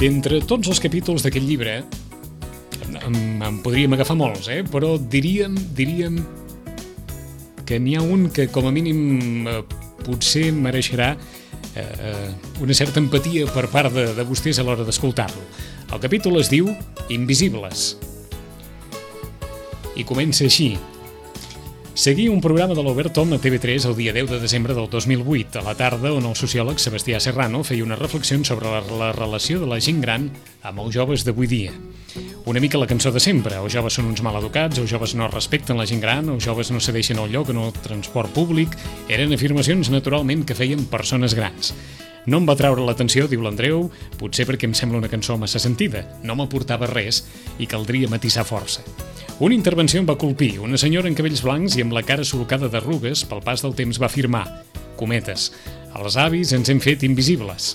D'entre tots els capítols d'aquest llibre, en podríem agafar molts, però diríem que n'hi ha un que com a mínim potser mereixerà una certa empatia per part de vostès a l'hora d'escoltar-lo. El capítol es diu Invisibles i comença així. Seguia un programa de l'Obert Tom a TV3 el dia 10 de desembre del 2008, a la tarda, on el sociòleg Sebastià Serrano feia una reflexió sobre la relació de la gent gran amb els joves d'avui dia. Una mica la cançó de sempre: els joves són uns maleducats, els joves no respecten la gent gran, els joves no cedeixen el lloc en el transport públic. Eren afirmacions naturalment que feien persones grans. No em va treure l'atenció, diu l'Andreu, potser perquè em sembla una cançó massa sentida. No m'aportava res i caldria matisar força. Una intervenció em va colpir. Una senyora en cabells blancs i amb la cara solcada d'arrugues pel pas del temps va afirmar, cometes, els avis ens hem fet invisibles.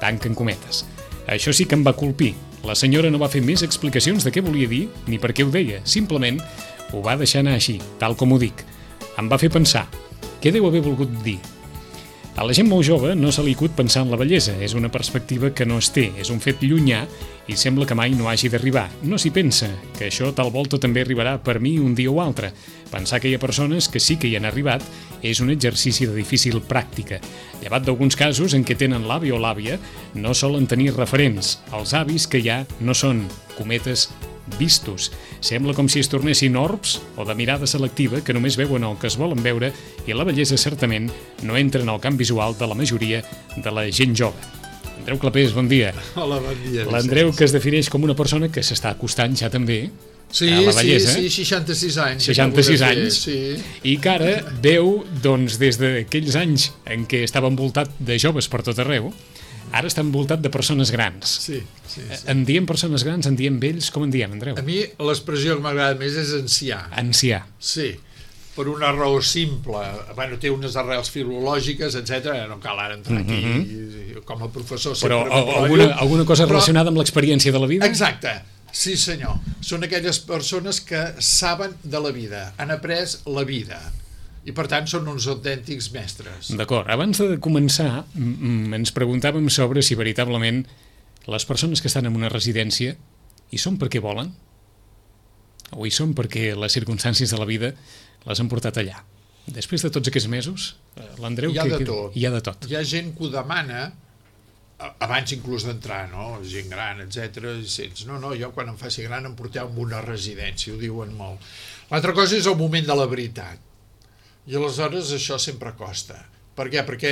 Tanquen cometes. Això sí que em va colpir. La senyora no va fer més explicacions de què volia dir ni per què ho deia. Simplement ho va deixar anar així, tal com ho dic. Em va fer pensar. Què deu haver volgut dir? A la gent molt jove no se li acut pensar en la bellesa. És una perspectiva que no es té, és un fet llunyà i sembla que mai no hagi d'arribar. No s'hi pensa, que això tal volta també arribarà per mi un dia o altre. Pensar que hi ha persones que sí que hi han arribat és un exercici de difícil pràctica. Llevat d'alguns casos en què tenen l'avi o l'àvia, no solen tenir referents. Els avis que hi ha no són, cometes, vistos. Sembla com si es tornessin orbs o de mirada selectiva que només veuen el que es volen veure i la bellesa certament no entra en el camp visual de la majoria de la gent jove. Andreu Clapés, bon dia. Hola, bon dia. L'Andreu, que es defineix com una persona que s'està acostant ja també a la bellesa. Sí, 66 anys. 66 anys. Sí. I que ara veu, doncs, des d'aquells anys en què estava envoltat de joves per tot arreu, ara està envoltat de persones grans. Sí. En diem persones grans, en diem vells, com en diem, Andreu? A mi l'expressió que m'agrada més és ancià. Ancià. Sí, per una raó simple. Bueno, té unes arrels filològiques, etc. No cal ara entrar aquí com a professor. Però alguna cosa relacionada amb l'experiència de la vida? Exacte. Sí, senyor. Són aquelles persones que saben de la vida, han après la vida. I per tant són uns autèntics mestres. D'acord, abans de començar ens preguntàvem sobre si veritablement les persones que estan en una residència hi són perquè volen o hi són perquè les circumstàncies de la vida les han portat allà. Després de tots aquests mesos, l'Andreu... Hi ha de tot. Hi ha de tot. Hi ha gent que ho demana abans inclús d'entrar, no? Gent gran, etc. I sents, no, jo quan em faci gran em porteu a una residència, ho diuen molt. L'altra cosa és el moment de la veritat. I aleshores això sempre costa. Per què? Perquè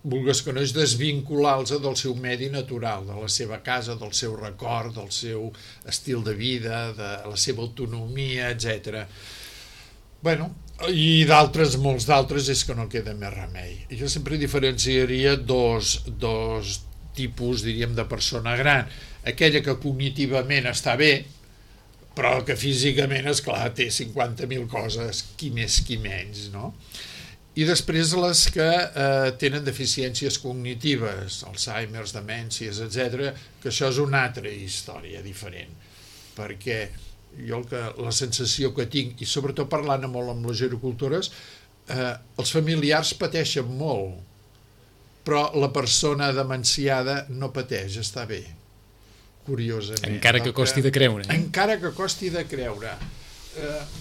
vulgues que no és desvincular-los del seu medi natural, de la seva casa, del seu record, del seu estil de vida, de la seva autonomia, etc. Bueno, i d'altres, molts d'altres, és que no queda més remei. Jo sempre diferenciaria dos tipus, diríem, de persona gran. Aquella que cognitivament està bé, però que físicament, esclar, té 50.000 coses, qui més, qui menys, no? I després les que tenen deficiències cognitives, Alzheimer's, demències, etc., que això és una altra història diferent, perquè jo la sensació que tinc, i sobretot parlant molt amb les gerocultores, els familiars pateixen molt, però la persona demenciada no pateix, està bé. Curiosament. Encara que costi de creure. Encara que costi de creure.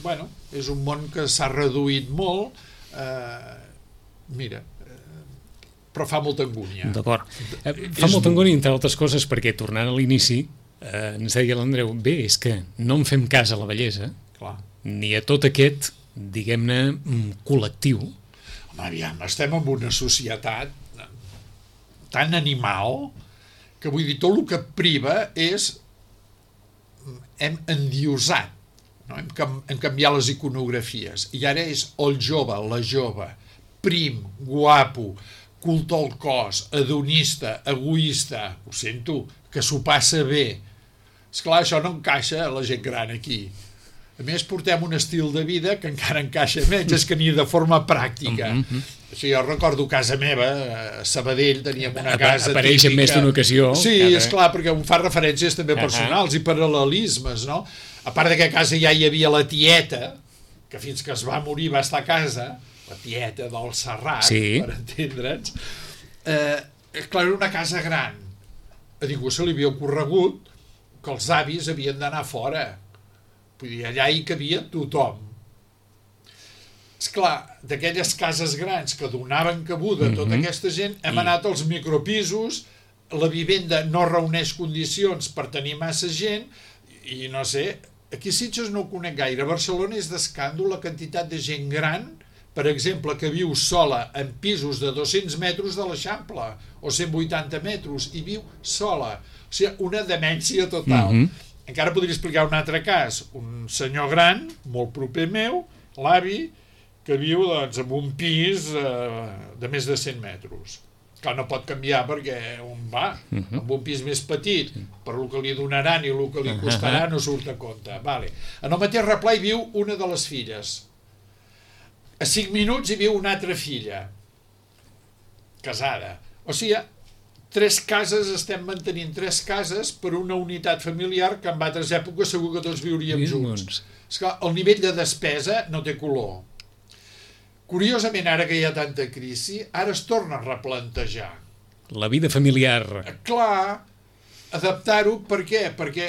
Bueno, és un món que s'ha reduït molt, però fa molta angúnia. D'acord. Fa molta angúnia, entre altres coses, perquè, tornant a l'inici, ens deia l'Andreu, bé, és que no en fem cas a la bellesa, clar, ni a tot aquest, diguem-ne, col·lectiu. Home, aviam, estem en una societat tan animal que vull dir, tot el que priva és hem endiosat, no? Hem canviat les iconografies i ara és el jove, la jove, prim, guapo, culte al cos, hedonista, egoista, ho sento, que s'ho passa bé. Esclar, això no encaixa a la gent gran aquí. A més, portem un estil de vida que encara encaixa menys, és que ni de forma pràctica. Sí, jo recordo casa meva, a Sabadell teníem una casa apareix típica. En més d'una ocasió. Sí, esclar, perquè em fa referències també personals i paral·lelismes, no? A part de que a casa ja hi havia la tieta, que fins que es va morir va estar a casa, la tieta del Serrat, sí, per entendre'ns. Clar, era una casa gran, a ningú se li havia ocorregut que els avis havien d'anar fora. Vull dir, allà hi cabia tothom. Esclar, d'aquelles cases grans que donaven cabuda a tota aquesta gent, hem anat als micropisos, la vivenda no reuneix condicions per tenir massa gent, i no sé, aquí a Sitges no ho conec gaire. A Barcelona és d'escàndol la quantitat de gent gran, per exemple, que viu sola en pisos de 200 metres de l'Eixample, o 180 metres, i viu sola. O sigui, una demència total. Encara podria explicar un altre cas. Un senyor gran, molt proper meu, l'avi, que viu doncs, en un pis de més de 100 metres. Clar, no pot canviar perquè on va? En un pis més petit, per el que li donaran i el que li costarà no surt a compte. Vale. En el mateix replà hi viu una de les filles. A 5 minuts hi viu una altra filla, casada. O sigui, 3 cases, estem mantenint 3 cases per una unitat familiar que en altres èpoques segur que tots viuríem junts. Esclar, el nivell de despesa no té color. Curiosament, ara que hi ha tanta crisi, ara es torna a replantejar. La vida familiar. Clar, adaptar-ho, per què? Perquè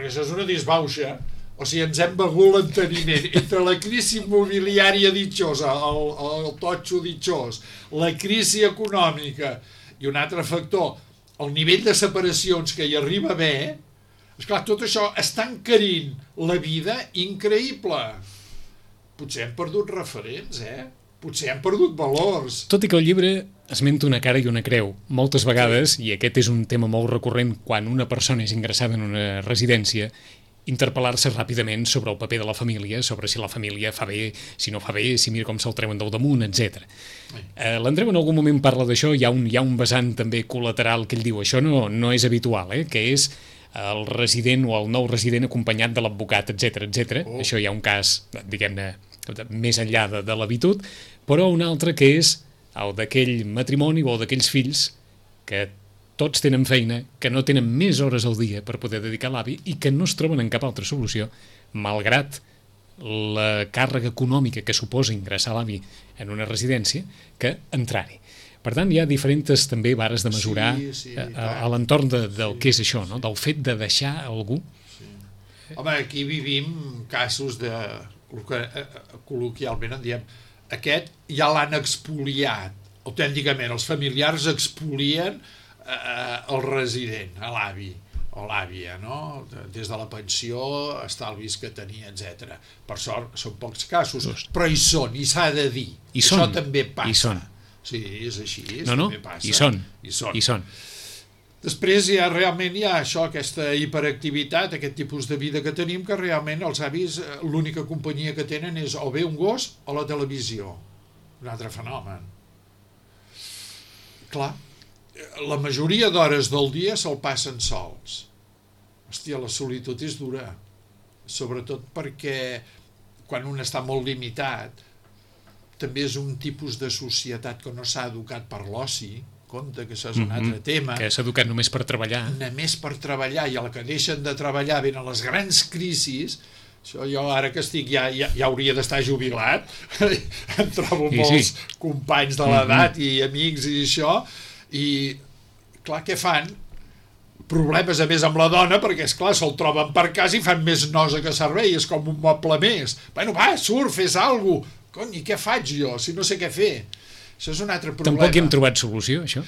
això és una disbauxa. O sigui, ens hem begut l'enteniment entre la crisi immobiliària ditxosa, el totxo ditxós, la crisi econòmica i un altre factor, el nivell de separacions que hi arriba a haver. Esclar, tot això està encarint la vida increïble. Potser hem perdut referents, Potser hem perdut valors. Tot i que el llibre esmenta una cara i una creu. Moltes vegades, i aquest és un tema molt recurrent quan una persona és ingressada en una residència, interpel·lar-se ràpidament sobre el paper de la família, sobre si la família fa bé, si no fa bé, si mira com se'l treuen del damunt, etc. L'Andreu en algun moment parla d'això, hi ha un vessant també col·lateral que ell diu, això no és habitual, que és el resident o el nou resident acompanyat de l'advocat, etc. Això hi ha un cas, diguem-ne, més enllà de l'habitud, però un altre que és el d'aquell matrimoni o d'aquells fills que tots tenen feina, que no tenen més hores al dia per poder dedicar a l'avi i que no es troben en cap altra solució, malgrat la càrrega econòmica que suposa ingressar l'avi en una residència, que entrar-hi. Per tant, hi ha diferents també vares de mesurar a l'entorn del que és això, no? Del fet de deixar algú. Home, aquí vivim casos de el que col·loquialment en diem, aquest ja l'han expoliat, autènticament, els familiars expolien el resident, l'avi o l'àvia, no? Des de la pensió, estalvis que tenia, etc. Per sort, són pocs casos, però hi són, i s'ha de dir. Això també passa. Sí, és així, també passa. Hi són. Després realment hi ha això, aquesta hiperactivitat, aquest tipus de vida que tenim, que realment els avis l'única companyia que tenen és o bé un gos o la televisió. Un altre fenomen. Clar, la majoria d'hores del dia se'l passen sols. Hòstia, la solitud és dura. Sobretot perquè quan un està molt limitat, també és un tipus de societat que no s'ha educat per l'oci, compte que això és un altre tema. Que s'ha educat només per treballar. Només per treballar, i al que deixen de treballar venen les grans crisis. Això jo ara que estic ja hauria d'estar jubilat, em trobo molts companys de l'edat i amics i això, i clar, què fan? Problemes a més amb la dona, perquè esclar, se'l troben per casa i fan més nosa que servei, és com un moble més. Bueno, va, surt, fes alguna cosa. Cony, i què faig jo, si no sé què fer? Això és un altre problema. Tampoc hi hem trobat solució, això?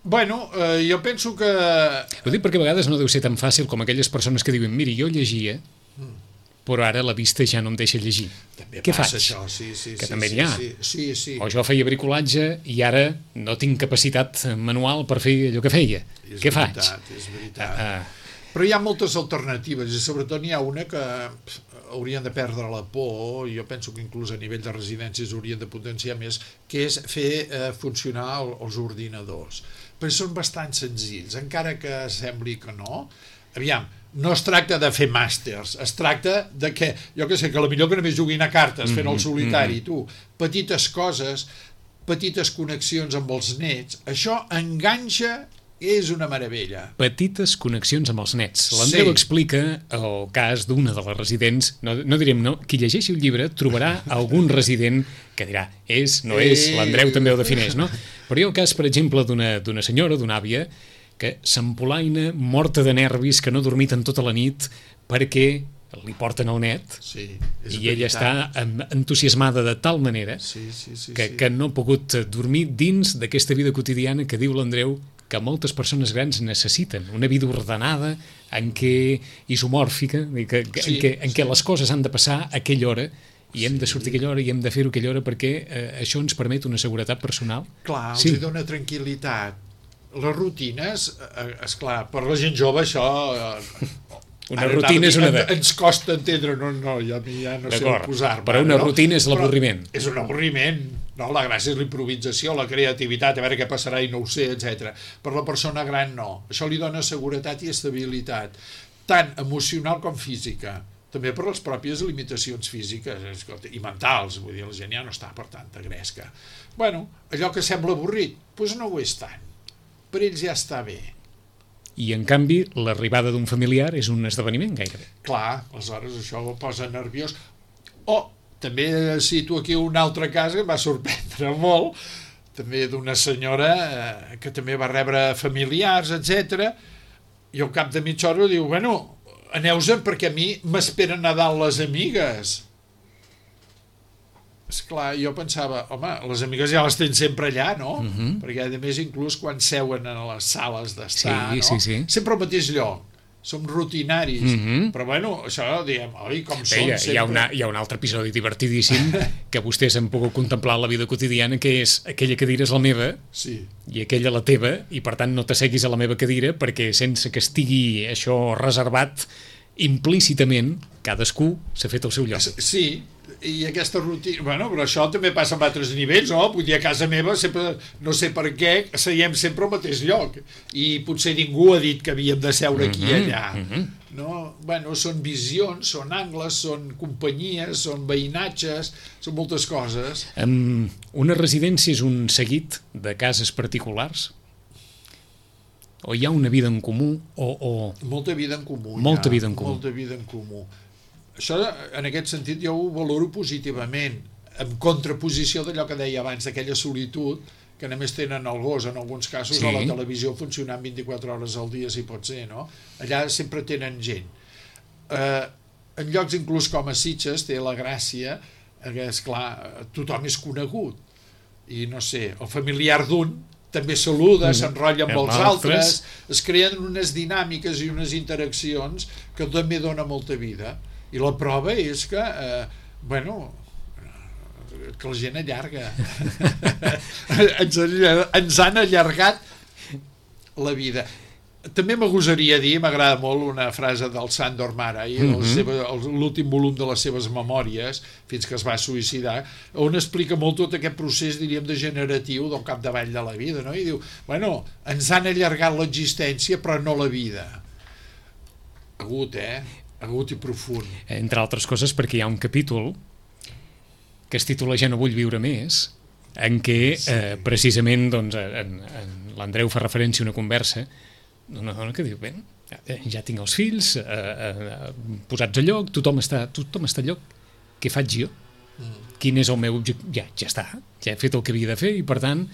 Bueno, jo penso que... Ho dic perquè a vegades no deu ser tan fàcil com aquelles persones que diuen miri, jo llegia, però ara la vista ja no em deixa llegir. També què passa faig? Això, sí. Que també n'hi ha. Sí. O jo feia bricolatge i ara no tinc capacitat manual per fer allò que feia. Què faig? És veritat. Però hi ha moltes alternatives i sobretot n'hi ha una que haurien de perdre la por, i jo penso que inclús a nivell de residències haurien de potenciar més, que és fer funcionar els ordinadors. Però són bastant senzills, encara que sembli que no. Aviam, no es tracta de fer màsters, es tracta de que, jo què sé, que potser que només juguin a cartes fent el solitari, tu, petites coses, petites connexions amb els nets, això enganxa. És una meravella. Petites connexions amb els nets. L'Andreu explica el cas d'una de les residents, no direm no, qui llegeixi el llibre trobarà algun resident que dirà és, no és, l'Andreu també ho defineix, no? Però hi ha el cas, per exemple, d'una senyora, d'una àvia, que s'empolaina, morta de nervis, que no ha dormit en tota la nit perquè li porten el net, sí, i ella està entusiasmada de tal manera que no ha pogut dormir dins d'aquesta vida quotidiana que diu l'Andreu que moltes persones grans necessiten, una vida ordenada, isomòrfica, en què les coses han de passar a aquella hora i hem de sortir a aquella hora i hem de fer-ho a aquella hora perquè això ens permet una seguretat personal. Clar, els dona tranquil·litat. Les rutines, esclar, per la gent jove això... Una rutina és una... Ens costa entendre, ja no sé on posar-me. Però una rutina és l'avorriment. És un avorriment, no? La gràcia és la improvisació, la creativitat, a veure què passarà i no ho sé, etc. Per la persona gran no. Això li dona seguretat i estabilitat, tant emocional com física. També per les pròpies limitacions físiques i mentals, vull dir, la gent ja no està per tanta gresca. Bueno, allò que sembla avorrit, doncs no ho és tant. Per ells ja està bé. I, en canvi, l'arribada d'un familiar és un esdeveniment, gairebé. Clar, aleshores això ho posa nerviós. També cito aquí un altre cas que em va sorprendre molt, també d'una senyora que també va rebre familiars, etc. I al cap de mitja hora diu, bueno, aneu-se'n perquè a mi m'esperen a dalt les amigues. Esclar, jo pensava, home, les amigues ja les tens sempre allà, no? Perquè, a més, inclús quan seuen a les sales d'estar, no? Sempre al mateix lloc. Som rutinaris. Però, bueno, això, diem, oi, com som sempre... Hi ha un altre episodi divertidíssim que vostès han pogut contemplar a la vida quotidiana, que és aquella cadira és la meva i aquella la teva, i, per tant, no t'asseguis a la meva cadira perquè, sense que estigui això reservat, implícitament, cadascú s'ha fet el seu lloc. Sí, i aquesta rutina... Bueno, però això també passa en altres nivells, no? Vull dir, a casa meva sempre, no sé per què, seiem sempre al mateix lloc. I potser ningú ha dit que havíem de seure aquí i allà. No? Bueno, són visions, són angles, són companyies, són veïnatges, són moltes coses. Una residència és un seguit de cases particulars? O hi ha una vida en comú? Molta vida en comú. Molta vida en comú. Molta vida en comú. Això, en aquest sentit, jo ho valoro positivament, en contraposició d'allò que deia abans, d'aquella solitud que només tenen el gos, en alguns casos, a la televisió funcionant 24 hores al dia, si pot ser, no? Allà sempre tenen gent. En llocs inclús com a Sitges té la gràcia que, esclar, tothom és conegut. I, no sé, el familiar d'un també saluda, s'enrotlla amb els altres, es creen unes dinàmiques i unes interaccions que també dona molta vida. I la prova és que, que la gent allarga. Ens han allargat la vida. També m'agosaria dir, m'agrada molt una frase del Sándor Márai, l'últim volum de les seves memòries, fins que es va suïcidar, on explica molt tot aquest procés, diríem, degeneratiu del capdavall de la vida, no? I diu, bueno, ens han allargat l'existència, però no la vida. Agut, agut i profund. Entre altres coses perquè hi ha un capítol que es titula Ja no vull viure més, en què precisament l'Andreu fa referència a una conversa d'una dona que diu, bé, ja tinc els fills posats a lloc, tothom està a lloc, què faig jo? Quin és el meu objectiu? Ja està, ja he fet el que havia de fer i per tant,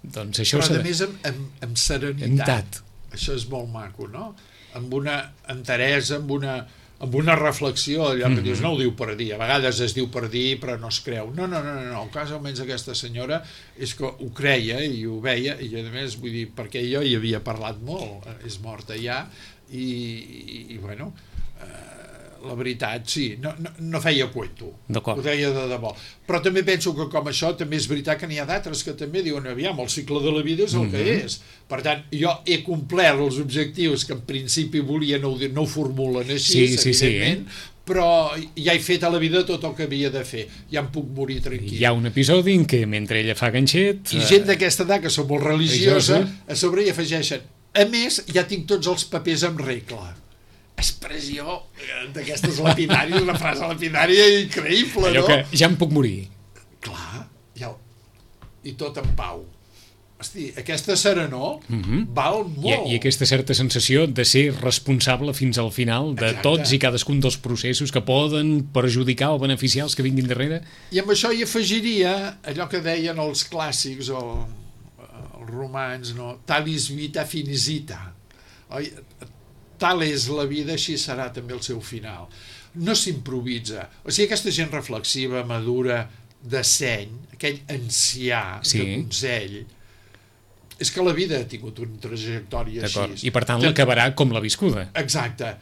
doncs això... Però a més amb serenitat. Això és molt maco, no? Amb una enteresa, amb una reflexió, allò que dius, no ho diu per dir, a vegades es diu per dir però no es creu. No, el cas almenys aquesta senyora és que ho creia i ho veia, i a més vull dir, perquè jo hi havia parlat molt, és morta ja, i bueno, la veritat, sí, no feia cuento, ho deia de debò. Però també penso que com això també és veritat que n'hi ha d'altres que també diuen, aviam, el cicle de la vida és el que és. Per tant, jo he complert els objectius que en principi volia, no ho formulen així, evidentment, però ja he fet a la vida tot el que havia de fer, ja em puc morir tranquil. Hi ha un episodi en què mentre ella fa ganxet... I gent d'aquesta edat, que són molt religiosa, a sobre hi afegeixen, a més, ja tinc tots els papers en regla. Expressió d'aquestes lapidàries, una frase lapidària increïble, allò no? Que ja em puc morir. Clar, i tot en pau. Hosti, aquesta serenor val molt. I aquesta certa sensació de ser responsable fins al final de tots i cadascun dels processos que poden perjudicar o beneficiar els que vinguin darrere. I amb això hi afegiria allò que deien els clàssics, el romans, no? Talis vita finis vita. Oi? Tal és la vida, així serà també el seu final. No s'improvisa. O sigui, aquesta gent reflexiva, madura, de seny, aquell ancià de consell, és que la vida ha tingut una trajectòria així. I per tant l'acabarà com la viscuda. Exacte.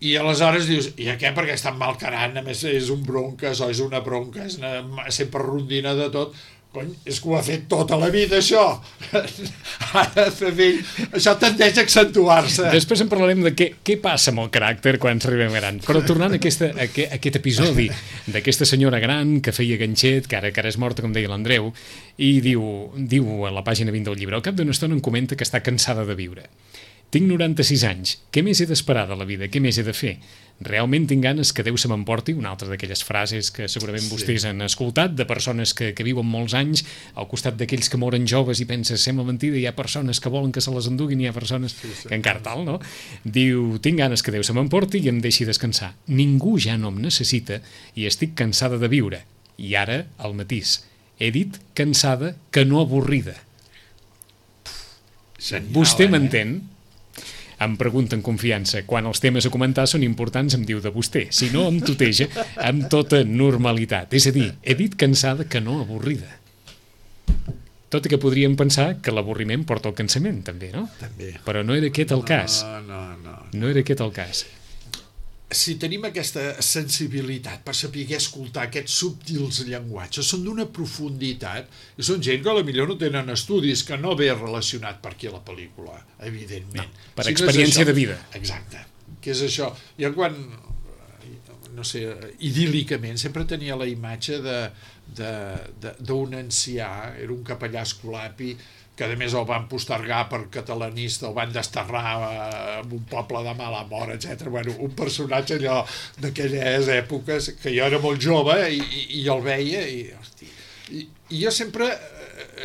I aleshores dius, i a què? Perquè és tan malcarant, a més és un bronques o és una bronca, és sempre rondina de tot. Cony, és que ho ha fet tota la vida, això. Ara, això tendeix a accentuar-se. Després en parlarem de què passa amb el caràcter quan s'arribem gran. Però tornant a aquest episodi d'aquesta senyora gran que feia ganxet, que ara és morta, com deia l'Andreu, i diu a la pàgina 20 del llibre, al cap d'una estona em comenta que està cansada de viure. Tinc 96 anys. Què més he d'esperar de la vida? Què més he de fer? Realment tinc ganes que Déu se m'emporti, una altra d'aquelles frases que segurament vostès han escoltat, de persones que viuen molts anys, al costat d'aquells que moren joves i penses, sembla mentida, hi ha persones que volen que se les enduguin, hi ha persones que encara tal, no? Diu, tinc ganes que Déu se m'emporti i em deixi descansar. Ningú ja no em necessita i estic cansada de viure. I ara, el matís. He dit cansada que no avorrida. Genial, vostè m'entén? Em pregunta en confiança. Quan els temes a comentar són importants em diu de vostè. Si no, em tuteja amb tota normalitat. És a dir, he dit cansada que no avorrida. Tot i que podríem pensar que l'avorriment porta al cansament, també, no? També. Però no era aquest el cas. No. No era aquest el cas. Si tenim aquesta sensibilitat per saber escoltar aquests subtils llenguatges, són d'una profunditat, i són gent que potser no tenen estudis, que no ve relacionat per aquí a la pel·lícula, evidentment. No, per experiència de vida. Exacte. Que és això. Jo quan, no sé, idíl·licament, sempre tenia la imatge d'un ancià, era un capellà escolapi, que a més el van postergar per catalanista, el van desterrar en un poble de mala mort, etc. Bueno, un personatge allò d'aquelles èpoques, que jo era molt jove i el veia, i jo sempre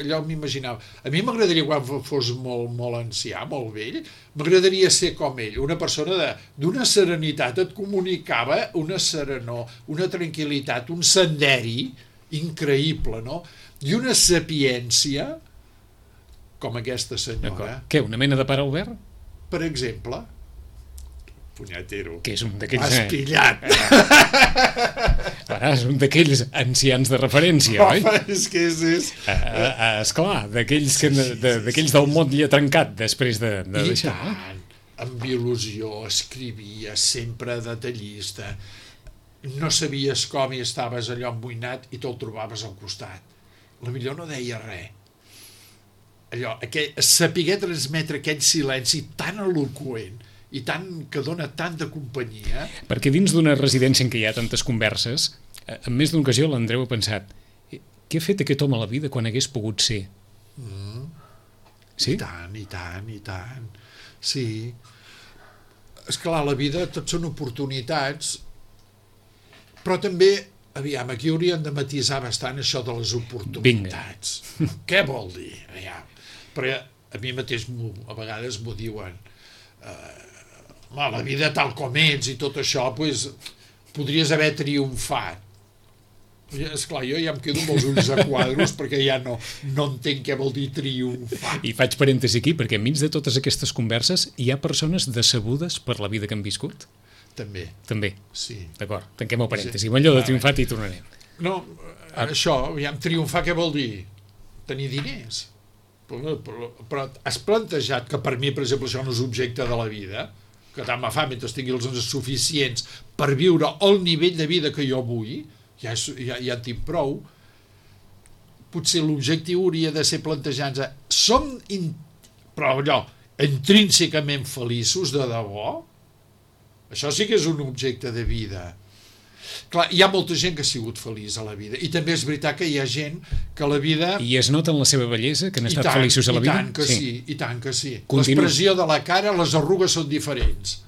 allò m''imaginava. A mi m'agradaria, quan fos molt ancià, molt vell, m'agradaria ser com ell, una persona d'una serenitat, et comunicava una serenor, una tranquil·litat, un senderi increïble, no? I una sapiència com aquesta senyora. Què, una mena de pare Albert? Per exemple, punyatero. Que és un d'aquells... M'has pillat. És un d'aquells ancians de referència, oi? És que és... Esclar, d'aquells del motlle trencat després de deixar. I tant, amb il·lusió, escrivia, sempre detallista. No sabies com i estaves allò emboinat i te'l trobaves al costat. La millor no deia res. Allò, saber transmetre aquell silenci tan eloqüent i que dona tanta companyia. Perquè dins d'una residència en què hi ha tantes converses, en més d'una ocasió l'Andreu ha pensat, què ha fet aquest home a la vida quan hagués pogut ser? Sí? I tant. Sí. Esclar, la vida tot són oportunitats, però també, aviam, aquí haurien de matisar bastant això de les oportunitats. Vinga. Què vol dir? Aviam. Però a mi mateix a vegades m'ho diuen, la vida tal com ets i tot això, doncs, podries haver triomfat. Esclar, jo ja em quedo amb els ulls a quadros perquè ja no entenc què vol dir triomfar. I faig parèntesi aquí, perquè enmig de totes aquestes converses hi ha persones decebudes per la vida que han viscut? També. Sí. D'acord, tanquem el parèntesi. Amb allò de triomfat hi tornarem. No, això, aviam, triomfar què vol dir? Tenir diners. Però has plantejat que per mi, per exemple, això no és objecte de la vida, que tant me fa mentre tingui els suficients per viure al nivell de vida que jo vull, ja en tinc prou. Potser l'objectiu hauria de ser plantejar-nos però allò, intrínsecament feliços de debò? Això sí que és un objecte de vida. Clar, hi ha molta gent que ha sigut feliç a la vida, i també és veritat que hi ha gent que la vida... I es nota en la seva bellesa que han estat feliços a la vida? I tant que sí. L'expressió de la cara, les arrugues són diferents.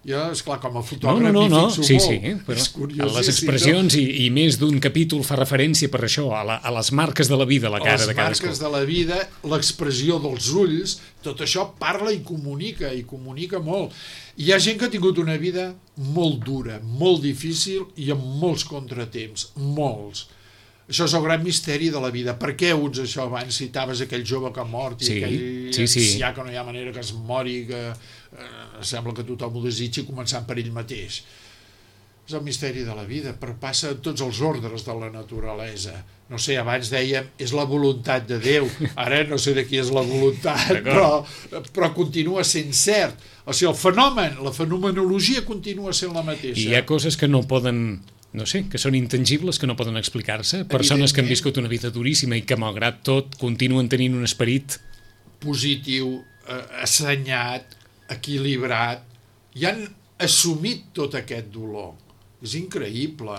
Jo, esclar, com a fotògraf m'hi fixo molt. Sí, però les expressions i més d'un capítol fa referència per això, a les marques de la vida, a la cara de cadascú. Les marques de la vida, l'expressió dels ulls, tot això parla i comunica molt. Hi ha gent que ha tingut una vida molt dura, molt difícil i amb molts contratemps, molts. Això és el gran misteri de la vida. Per què uns això? Abans citaves aquell jove que ha mort i aquell ancià que no hi ha manera que es mori, que sembla que tothom ho desitgi començant per ell mateix. És el misteri de la vida, però passa tots els ordres de la naturalesa. No sé, abans dèiem, és la voluntat de Déu, ara no sé de qui és la voluntat, però continua sent cert. O sigui, el fenomen, la fenomenologia continua sent la mateixa. I hi ha coses que no poden, no sé, que són intangibles, que no poden explicar-se, persones que han viscut una vida duríssima i que malgrat tot continuen tenint un esperit positiu, assenyat, equilibrat, i han assumit tot aquest dolor. És increïble.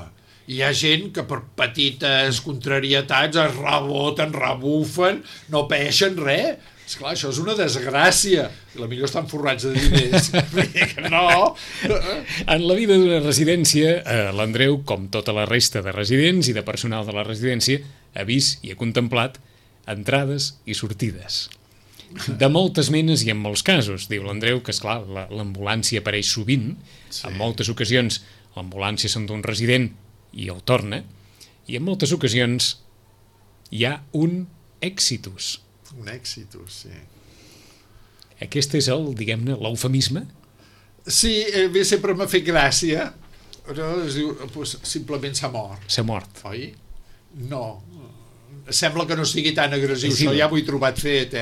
Hi ha gent que per petites contrarietats es reboten, rebufen, no peixen res. Esclar, això és una desgràcia. I potser estan forrats de diners. Que no. En la vida d'una residència, l'Andreu, com tota la resta de residents i de personal de la residència, ha vist i ha contemplat entrades i sortides. De moltes menes i en molts casos. Diu l'Andreu que, esclar, l'ambulància apareix sovint. En moltes ocasions l'ambulància s'endú un resident i el torna, i en moltes ocasions hi ha un exitus. Un exitus, sí. Aquest és el, diguem-ne, l'eufemisme? Sí, bé, sempre m'ha fet gràcia. Es diu, simplement s'ha mort. S'ha mort. Oi? No. Sembla que no sigui tan agressiu, això ja m'ho he trobat fet,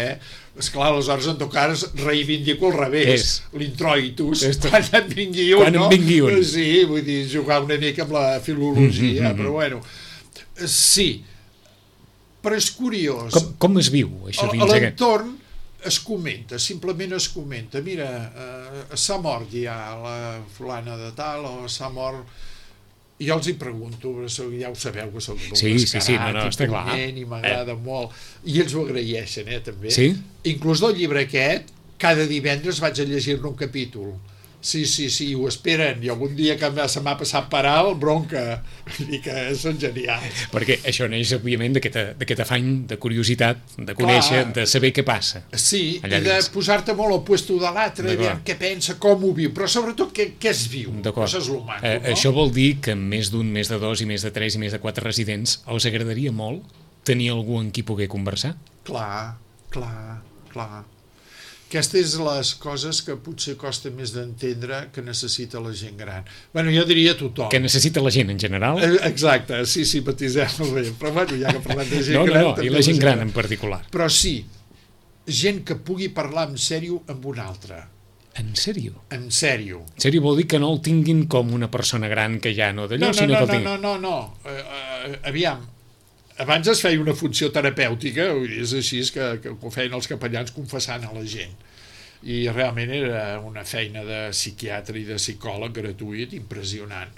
Esclar, aleshores en tot cas reivindico al revés, l'introitus, quan en vingui un, quan en vingui un. Sí, vull dir, jugar una mica amb la filologia, però bueno, sí, però és curiós. Com es viu, això dins aquest? A l'entorn es comenta, simplement es comenta, mira, s'ha mort ja la fulana de tal, o s'ha mort... I jo els hi pregunto, ja ho sabeu que soc molt descarat i punyent i m'agrada molt, i ells ho agraeixen, també. Sí? Inclús del llibre aquest, cada divendres vaig a llegir-ne un capítol. Sí, ho esperen, i algun dia que se m'ha passat per alt, bronca, i que són genials. Perquè això neix, òbviament, d'aquest afany de curiositat, de conèixer, de saber què passa. Sí, i de posar-te molt al puesto de l'altre, què pensa, com ho viu, però sobretot què es viu. Això és el maco, no? Això vol dir que més d'un, més de dos, i més de tres, i més de quatre residents, els agradaria molt tenir algú amb qui poder conversar? Clar. Aquestes les coses que potser costa més d'entendre que necessita la gent gran. Bueno, jo diria tothom. Que necessita la gent en general? Exacte, sí, batisem-ho bé. Però bueno, ja que parlem de gent gran... No, i la gent gran en particular. Però sí, gent que pugui parlar en sèrio amb un altre. En sèrio? En sèrio. En sèrio vol dir que no el tinguin com una persona gran que ja no d'allò, sinó que el tinguin... No. Aviam, abans es feia una funció terapèutica, és així que ho feien els capellans confessant a la gent, i realment era una feina de psiquiatre i de psicòleg gratuït impressionant.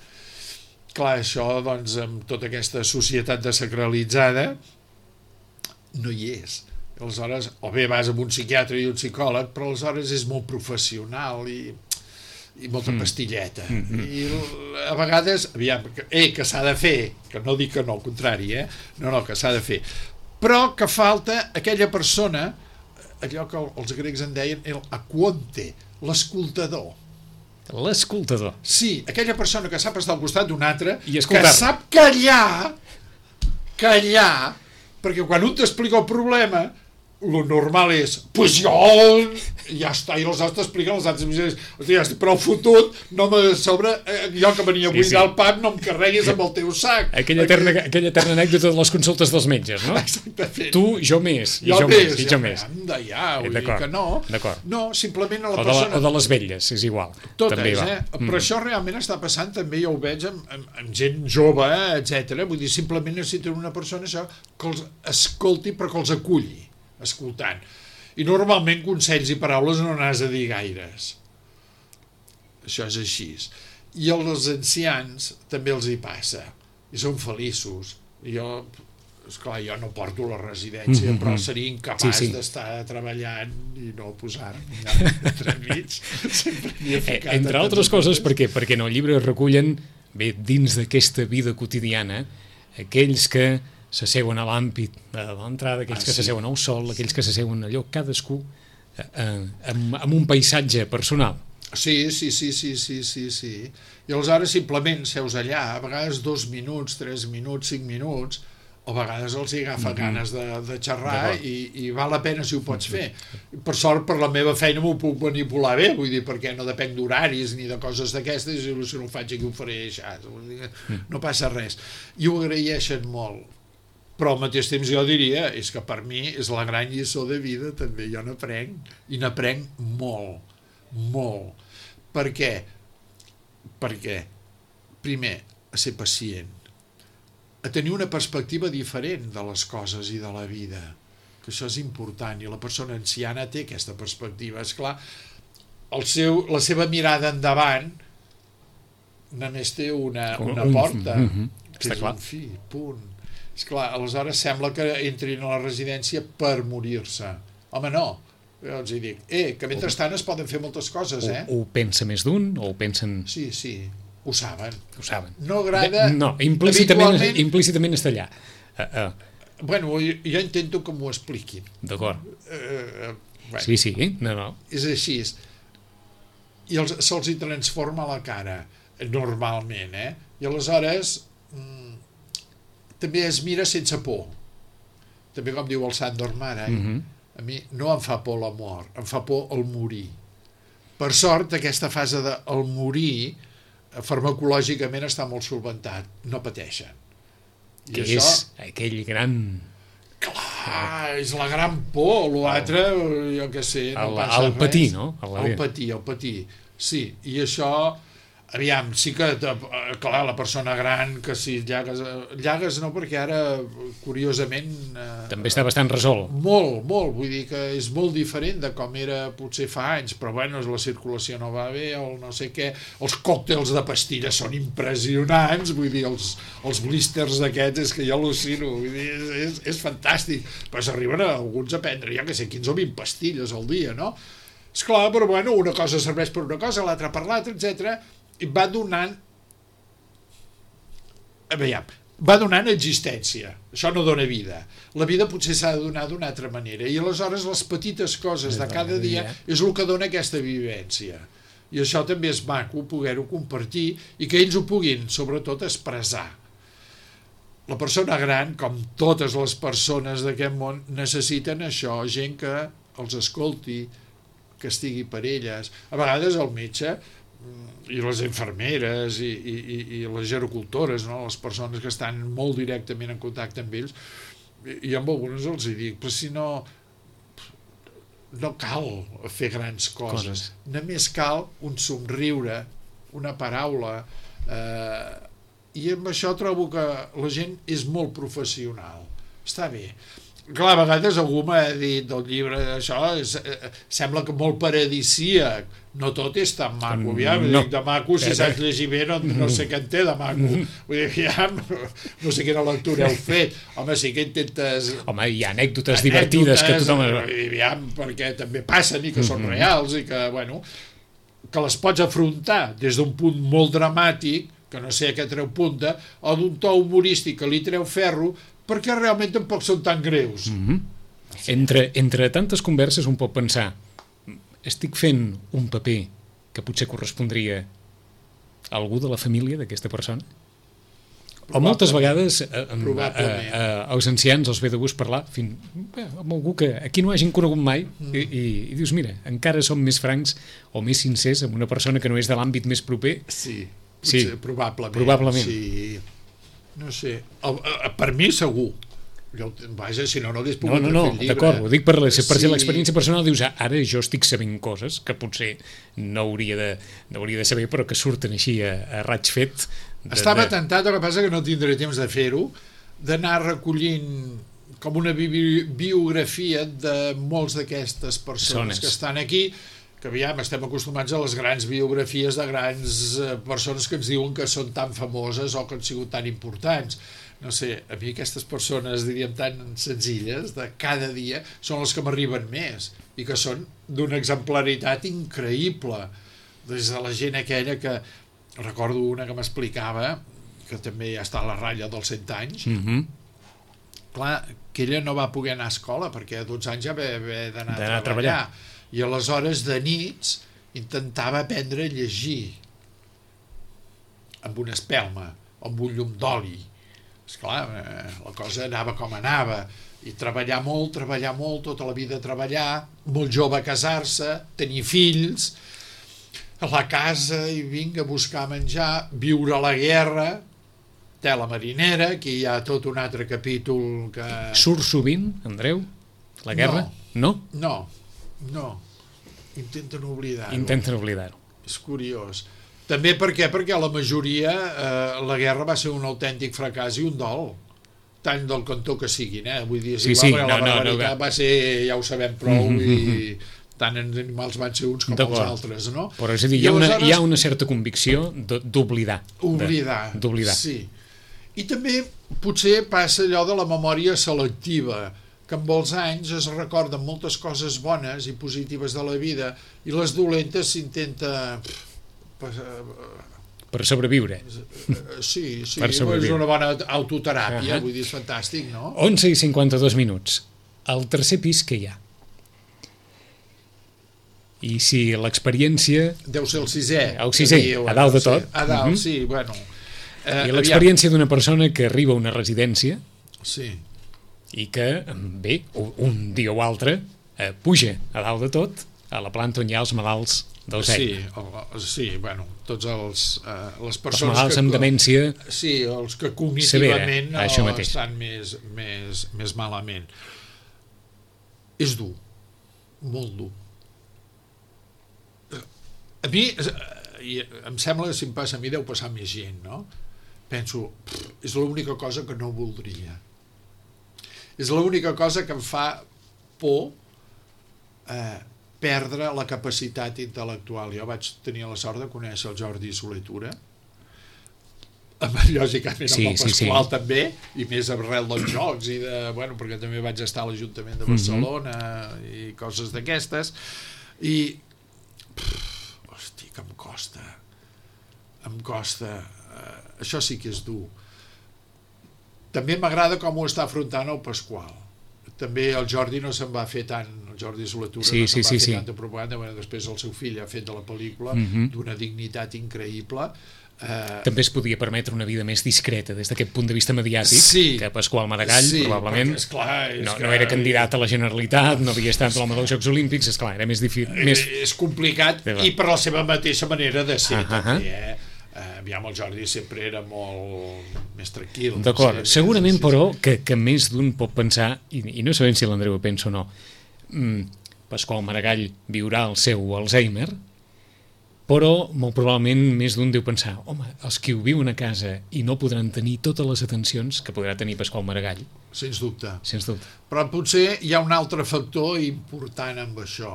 Clar, això, doncs, amb tota aquesta societat desacralitzada no hi és. Aleshores, o bé vas amb un psiquiatre i un psicòleg, però aleshores és molt professional i molta pastilleta. I a vegades, aviam, que s'ha de fer, que no dic que no, al contrari, no, que s'ha de fer. Però que falta aquella persona, allò que els grecs en deien el aquonte, l'escoltador. L'escoltador. Sí, aquella persona que sap estar al costat d'un altre, que sap callar, perquè quan un t'explica el problema, lo normal és, pues jo, ja està, i els altres t'expliquen, els altres ja estic prou fotut, no me sobre, jo que venia a buidar el pap, no em carreguis amb el teu sac. Aquella eterna anècdota de les consultes dels metges, no? Exactament. Tu, jo més, i jo més. Vull dir que no. No, simplement a la persona... O de les velles, és igual. Totes, però això realment està passant, també ja ho veig amb gent jove, etc. Vull dir, simplement necessiten una persona això que els escolti però que els aculli escoltant. I normalment consells i paraules no n'has de dir gaires. Això és així. I als ancians també els hi passa. I són feliços. Esclar, jo no porto la residència, però seria incapaç d'estar treballant i no posar-me entremig. Entre altres coses, perquè en el llibre recullen, bé, dins d'aquesta vida quotidiana, aquells que s'asseuen a l'àmpit de l'entrada, aquells que s'asseuen al sol, aquells que s'asseuen allò, cadascú amb un paisatge personal. Sí. I aleshores simplement seus allà, a vegades 2 minuts, 3 minuts, 5 minuts, a vegades els hi agafa ganes de xerrar i val la pena si ho pots fer. Per sort, per la meva feina m'ho puc manipular bé, vull dir, perquè no depenc d'horaris ni de coses d'aquestes, i si no ho faig aquí ho faré això, no passa res. I ho agraeixen molt. Però al mateix temps jo diria, és que per mi és la gran lliçó de vida també, jo n'aprenc, i n'aprenc molt, molt. Per què? Perquè, primer, a ser pacient, a tenir una perspectiva diferent de les coses i de la vida, que això és important, i la persona anciana té aquesta perspectiva. Esclar, la seva mirada endavant només té una porta, que és un fi, punt. Esclar, aleshores sembla que entrin a la residència per morir-se. Home, no. Jo els dic, que mentrestant es poden fer moltes coses, Ho pensa més d'un, o ho pensen... Sí, ho saben. Ho saben. No agrada... No, implícitament està allà. Bueno, jo intento que m'ho expliquin. D'acord. Bueno, Sí, no. És així. I se'ls hi transforma la cara, normalment, I aleshores també es mira sense por. També com diu el Sandor Mara, a mi no em fa por la mort, em fa por el morir. Per sort, aquesta fase del morir farmacològicament està molt solventat, no pateixen. I que és aquell gran... Clar, és la gran por, l'altre, jo què sé, no passa res. El patir, no? El patir, sí, i això... Aviam, sí que, clar, la persona gran, que si llagues no, perquè ara, curiosament... També està bastant resolt. Molt, vull dir que és molt diferent de com era potser fa anys, però bueno, la circulació no va bé, el no sé què, els còctels de pastilles són impressionants, vull dir, els blisters d'aquests, és que jo al·lucino, vull dir, és fantàstic, però s'arriben alguns a prendre, jo que sé, 15 o 20 pastilles al dia, no? Esclar, però bueno, una cosa serveix per una cosa, l'altra per l'altra, etc. I va donant existència. Això no dona vida. La vida potser s'ha de donar d'una altra manera, i aleshores les petites coses de cada dia és el que dona aquesta vivència, i això també és maco poder-ho compartir i que ells ho puguin sobretot expressar. La persona gran, com totes les persones d'aquest món, necessiten això, gent que els escolti, que estigui per elles. A vegades el metge i les infermeres i les gerocultores, no? Les persones que estan molt directament en contacte amb ells, i amb algunes els dic, però si no cal fer grans coses. Només cal un somriure, una paraula, i amb això trobo que la gent és molt professional. Està bé. Clar, a vegades algú m'ha dit del llibre, això sembla que molt paradisíac, no tot és tan maco, dic de maco, si saps llegir bé no sé què en té de maco, vull dir, no sé quina lectura heu fet, home, sí que intentes... Home, hi ha anècdotes divertides que tothom... perquè també passen i que són reals i que, bueno, que les pots afrontar des d'un punt molt dramàtic, que no sé a què treu punta, o d'un to humorístic que li treu ferro, perquè realment tampoc són tan greus. Entre tantes converses un pot pensar, estic fent un paper que potser correspondria a algú de la família d'aquesta persona? O moltes vegades als ancians els ve de gust parlar amb algú que aquí no hagin conegut mai i dius, mira, encara som més francs o més sincers amb una persona que no és de l'àmbit més proper. Sí, probablement. Sí. No sé, per mi segur. Vaja, si no hagués pogut fer el llibre. D'acord, ho dic per l'experiència personal, dius, ara jo estic sabent coses que potser no hauria de saber, però que surten així a raig fet. Estava tentat, el que passa que no tindré temps de fer-ho, d'anar recollint com una biografia de molts d'aquestes persones que estan aquí, que aviam, estem acostumats a les grans biografies de grans persones que ens diuen que són tan famoses o que han sigut tan importants. No sé, a mi aquestes persones, diríem, tan senzilles, de cada dia, són les que m'arriben més i que són d'una exemplaritat increïble. Des de la gent aquella que... Recordo una que m'explicava, que també ja està a la ratlla dels 100 anys, clar, que ella no va poder anar a escola perquè a 12 anys ja va haver d'anar a treballar. I aleshores de nits intentava aprendre a llegir amb una espelma, amb un llum d'oli. esclar, la cosa anava com anava, i treballar molt, tota la vida treballar, molt jove casar-se, tenir fills, a la casa i vinga a buscar menjar, viure la guerra, tela marinera, aquí hi ha tot un altre capítol que... Surt sovint, Andreu, la guerra? No? No. Intenten oblidar-ho. Intenten oblidar-ho. És curiós. També perquè la majoria la guerra va ser un autèntic fracàs i un dol, tant del cantó que siguin, vull dir, sí, la barbaritat va ser, ja ho sabem prou, i tant en animals van ser uns com els altres, no? Però és a dir, hi ha una certa convicció d'oblidar. D'oblidar. Sí. I també potser passa allò de la memòria selectiva, que amb els anys es recorden moltes coses bones i positives de la vida i les dolentes s'intenta... Per sobreviure. Sí, és una bona autoteràpia, vull dir, és fantàstic, no? 11:52 minuts. Al tercer pis que hi ha? I si l'experiència... Deu ser el sisè. El sisè, a dalt de tot. A dalt, sí, bueno... I l'experiència d'una persona que arriba a una residència... Sí. I que, bé, un dia o altre, puja a dalt de tot, a la planta on hi ha els malalts d'Alzheimer. Sí, bueno, tots les persones... Els malalts amb demència... Sí, els que cognitivament estan més malament. És dur, molt dur. A mi, em sembla que si em passa a mi deu passar més gent, no? Penso, és l'única cosa que no voldria. És l'única cosa que em fa por perdre la capacitat intel·lectual. Jo vaig tenir la sort de conèixer el Jordi Soler-Tura, lògicament amb el Pasqual també, i més arrel dels jocs, perquè també vaig estar a l'Ajuntament de Barcelona i coses d'aquestes, i hosti, que em costa, això sí que és dur. També m'agrada com ho està afrontant el Pasqual. També el Jordi no se'n va fer tant, el Jordi Soler-Tura no se'n va fer tanta propaganda, després el seu fill ha fet de la pel·lícula d'una dignitat increïble. També es podia permetre una vida més discreta des d'aquest punt de vista mediàtic que Pasqual Maragall, probablement no era candidat a la Generalitat, no havia estat a l'home dels Jocs Olímpics, esclar, era més difícil. És complicat i per la seva mateixa manera de ser també, aviam, el Jordi sempre era molt més tranquil. D'acord, segurament però que més d'un pot pensar, i no sabem si l'Andreu ho pensa o no, Pasqual Maragall viurà el seu Alzheimer, però molt probablement més d'un deu pensar, home, els que ho viuen a casa i no podran tenir totes les atencions que podrà tenir Pasqual Maragall. Sens dubte. Sens dubte. Però potser hi ha un altre factor important amb això.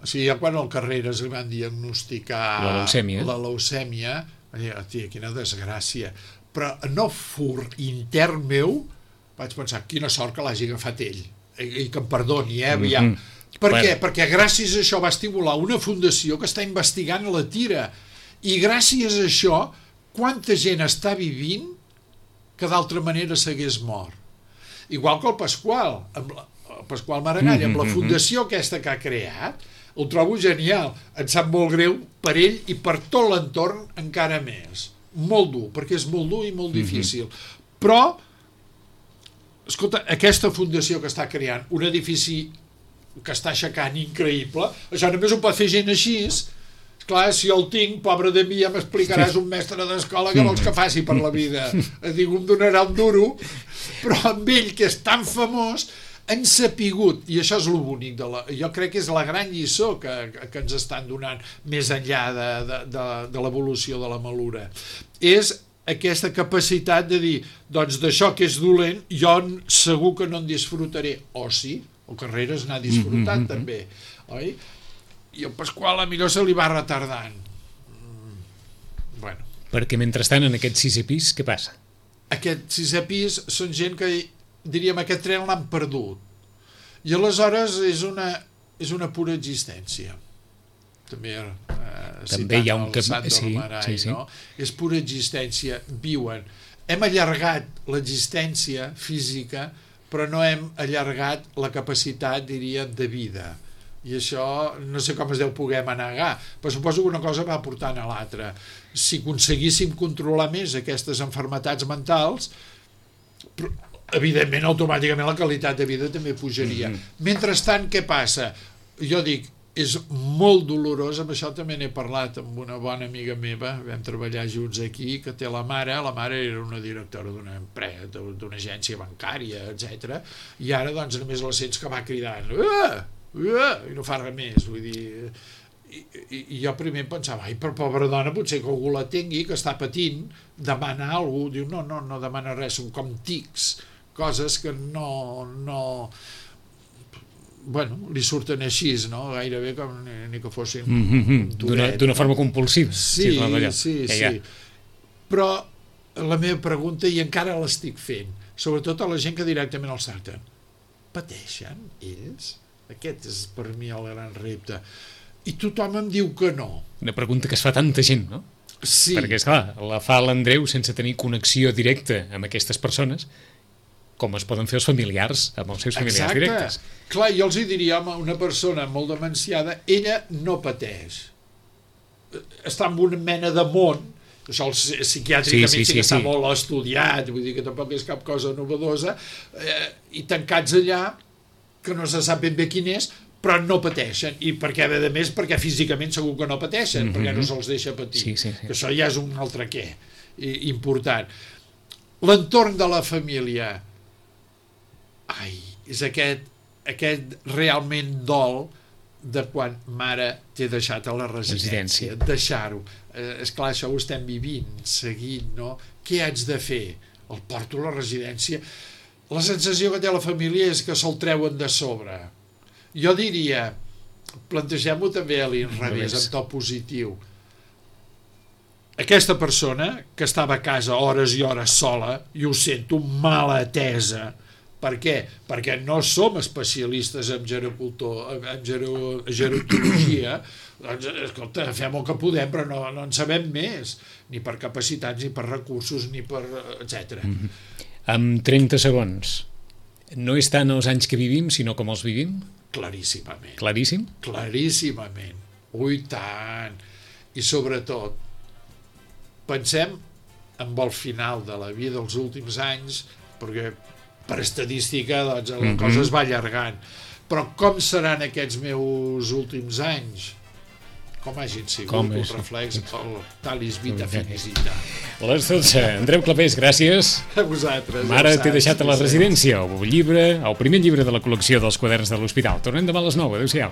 O sigui, ja quan al Carreras li van diagnosticar la leucèmia, tia, quina desgràcia. Però no fur intern meu, vaig pensar, quina sort que l'hagi agafat ell, i que em perdoni, aviam. Per què? Perquè gràcies a això va estimular una fundació que està investigant la tira, i gràcies a això quanta gent està vivint que d'altra manera s'hagués mort. Igual que el Pasqual Maragall, amb la fundació aquesta que ha creat, ho trobo genial, em sap molt greu per ell i per tot l'entorn encara més. Molt dur, perquè és molt dur i molt difícil. Però, escolta, aquesta fundació que està creant, un edifici que està aixecant increïble, això només ho pot fer gent així. Esclar, si el tinc, pobre de mi, ja m'explicaràs un mestre d'escola que vols que faci per la vida. Et dic, em donarà un duro, però amb ell, que és tan famós, han sapigut, i això és el bonic, jo crec que és la gran lliçó que ens estan donant més enllà de l'evolució de la malura, és aquesta capacitat de dir, doncs d'això que és dolent, jo segur que no en disfrutaré, o sí, el Carreras n'ha disfrutat també, oi? I el Pasqual a millor se li va retardant. Bueno. Perquè mentrestant en aquest sisè pis, què passa? Aquest sisè pis són gent que, diríem, aquest tren l'han perdut. I aleshores és una pura existència. També hi ha un Maragall, no? És pura existència, viuen. Hem allargat l'existència física, però no hem allargat la capacitat, diríem, de vida. I això no sé com es deu poder manegar, però suposo que una cosa va portant a l'altra. Si aconseguíssim controlar més aquestes malalties mentals, evidentment automàticament la qualitat de vida també pujaria. Mentrestant, què passa? Jo dic, és molt dolorós, amb això també n'he parlat amb una bona amiga meva, vam treballar junts aquí, que té la mare era una directora d'una empresa, d'una agència bancària, etc. I ara doncs només la sents que va cridant i no fa res més, vull dir, i jo primer pensava, ai, per pobra dona, potser que algú la tingui, que està patint, demana alguna cosa, diu, no demana res, són com tics, coses que no bueno, li surten així, no? Gairebé com ni que fossin d'una forma compulsiva. Sí. Però la meva pregunta, i encara l'estic fent, sobretot a la gent que directament els tracten, pateixen ells? Aquest és per mi el gran repte. I tothom em diu que no. Una pregunta que es fa tanta gent, no? Sí. Perquè, esclar, la fa l'Andreu sense tenir connexió directa amb aquestes persones, com es poden fer els familiars amb els seus familiars directes. Clar, jo els diria, home, una persona molt demenciada, ella no pateix. Està en una mena de món, això psiquiàtricament sí que està molt estudiat, vull dir que tampoc és cap cosa novedosa, i tancats allà, que no se sap ben bé quin és, però no pateixen, i perquè a més perquè físicament segur que no pateixen, perquè no se'ls deixa patir, que això ja és un altre què important. L'entorn de la família, és aquest realment dol de quan mare t'he deixat a la residència, deixar-ho, esclar, això ho estem vivint seguint, no? Què haig de fer? El porto a la residència. La sensació que té la família és que se'l treuen de sobre. Jo diria, plantegem-ho també a l'inrevés, en to positiu. Aquesta persona, que estava a casa hores i hores sola, i ho sento, mal atesa. Per què? Perquè no som especialistes en gerontologia. Doncs, escolta, fem el que podem, però no en sabem més, ni per capacitats, ni per recursos, ni per etc. Amb 30 segons, no és tant els anys que vivim, sinó com els vivim? Claríssimament. Claríssim? Claríssimament. Ui, tant. I sobretot, pensem en el final de la vida, els últims anys, perquè per estadística doncs, la cosa es va allargant. Però com seran aquests meus últims anys? Com hagin sigut, el reflex, el talis vita finis i tal. Les 12. Andreu Clapés, gràcies. A vosaltres. Mare t'he deixat a la residència, el primer llibre de la col·lecció dels quaderns de l'Hospital. Tornem demà a les 9. Adéu-siau.